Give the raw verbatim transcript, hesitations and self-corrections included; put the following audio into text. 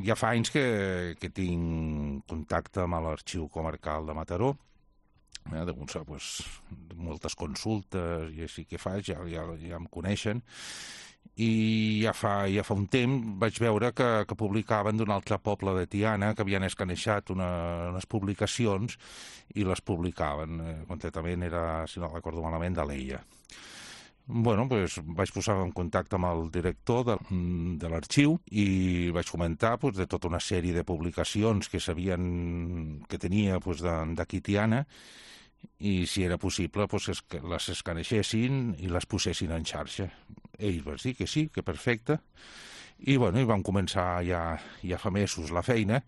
ja fa anys que, que tinc contacte amb l'Arxiu Comarcal de Mataró, eh, de, pues, moltes consultes i així que faig, ja, ja, ja em coneixen, i ja fa, ja fa un temps vaig veure que, que publicaven d'un altre poble de Tiana, que havien escanejat una, unes publicacions i les publicaven, eh, concretament era, si no recordo malament, d'Alella. Bueno, pues, vaig posar en contacte amb el director de, de l'arxiu i vaig comentar pues, de tota una sèrie de publicacions que sabien que tenia pues, d'aquí Tiana, i si era possible pues, es, que les escaneixessin i les posessin en xarxa. Ells van dir que sí, que perfecte, i, bueno, i vam començar ja, ja fa mesos la feina,